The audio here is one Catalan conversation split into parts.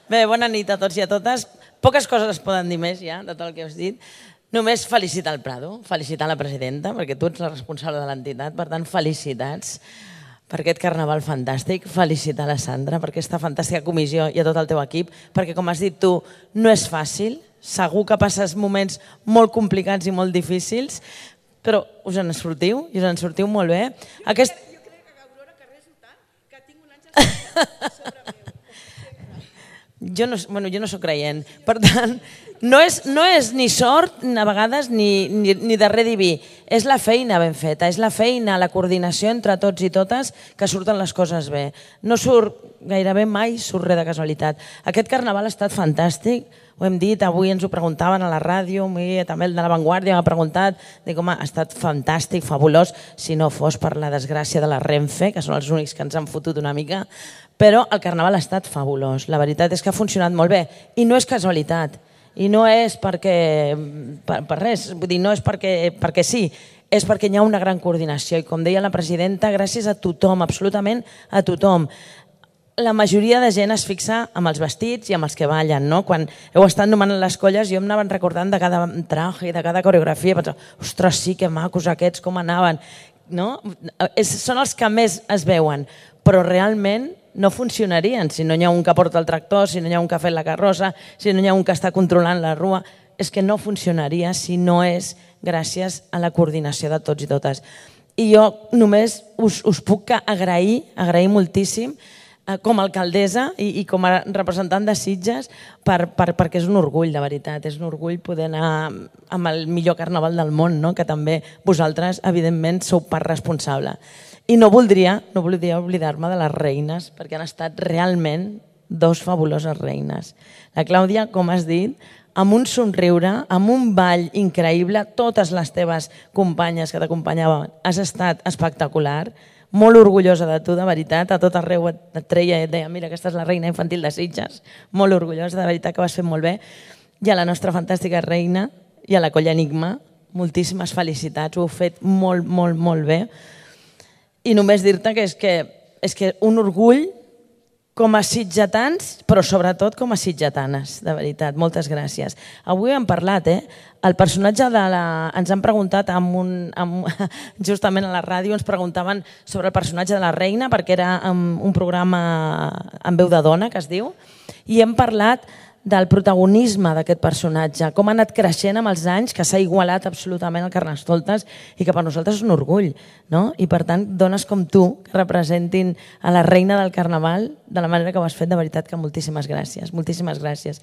Bé, bona nit a tots i a totes. Poques coses es poden dir més ja, de tot el que us dit. Només felicitar el Prado, felicitar la presidenta, perquè tu ets la responsable de l'entitat, per tant, felicitats per aquest carnaval fantàstic. Felicitar la Sandra per aquesta fantàstica comissió i a tot el teu equip, perquè, com has dit tu, no és fàcil. Segur que passes moments molt complicats i molt difícils, però us en sortiu i us en sortiu molt bé. Jo crec que Aurora que reso tant que tinc un àngel sobre meu. Jo no soc creient, per tant, no és ni sort a vegades ni darrer diví, és la feina ben feta, és la feina, la coordinació entre tots i totes que surten les coses bé. No surt gairebé mai, surt res de casualitat. Aquest carnaval ha estat fantàstic, ho hem dit, avui ens ho preguntaven a la ràdio, també el de La Vanguardia m'ha preguntat, dic, home, ha estat fantàstic, fabulós, si no fos per la desgràcia de la Renfe, que són els únics que ens han fotut una mica, però el carnaval ha estat fabulós. La veritat és que ha funcionat molt bé i no és casualitat. I no és perquè, per res, vull dir, no és perquè sí, és perquè hi ha una gran coordinació. I com deia la presidenta, gràcies a tothom, absolutament a tothom. La majoria de gent es fixa amb els vestits i amb els que ballen, no? Quan heu estat nomenant les colles, jo em anaven recordant de cada traje, de cada coreografia, i pensava, ostres, sí, que macos aquests, com anaven, no? Són els que més es veuen, però realment no funcionarien si no hi ha un que porta el tractor, si no hi ha un que ha fet la carrossa, si no hi ha un que està controlant la rua. És que no funcionaria si no és gràcies a la coordinació de tots i totes. I jo només us puc agrair moltíssim com a alcaldessa i com a representant de Sitges perquè és un orgull, de veritat. És un orgull poder anar amb el millor carnaval del món, que també vosaltres, evidentment, sou part responsable. I no voldria oblidar-me de les reines, perquè han estat realment dos fabuloses reines. La Clàudia, com has dit, amb un somriure, amb un ball increïble, totes les teves companyes que t'acompanyaven, has estat espectacular, molt orgullosa de tu, de veritat, a tot arreu et treia i et deia, mira, aquesta és la reina infantil de Sitges, molt orgullosa, de veritat que ho has fet molt bé. I a la nostra fantàstica reina i a la Colla Enigma, moltíssimes felicitats, ho heu fet molt, molt, molt bé. I només dir-te que és que un orgull com a sitgetans, però sobretot com a sitgetanes, de veritat. Moltes gràcies. Avui hem parlat, el personatge de la... Ens han preguntat, justament a la ràdio, ens preguntaven sobre el personatge de la reina, perquè era un programa amb veu de dona, que es diu, i hem parlat del protagonisme d'aquest personatge, com ha anat creixent amb els anys, que s'ha igualat absolutament al Carnestoltes i que per nosaltres és un orgull. I per tant, dones com tu que representin a la reina del Carnaval de la manera que ho has fet, de veritat que moltíssimes gràcies. Moltíssimes gràcies.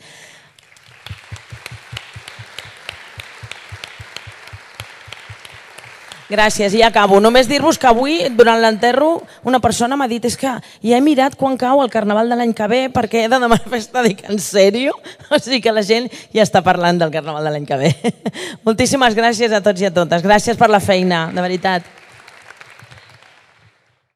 Gràcies, i ja acabo. Només dir-vos que avui, durant l'enterro, una persona m'ha dit és que ja he mirat quan cau el Carnaval de l'any que ve perquè he de demanar festa. Dic, en sèrio? O sigui que la gent ja està parlant del Carnaval de l'any que ve. Moltíssimes gràcies a tots i a totes. Gràcies per la feina, de veritat.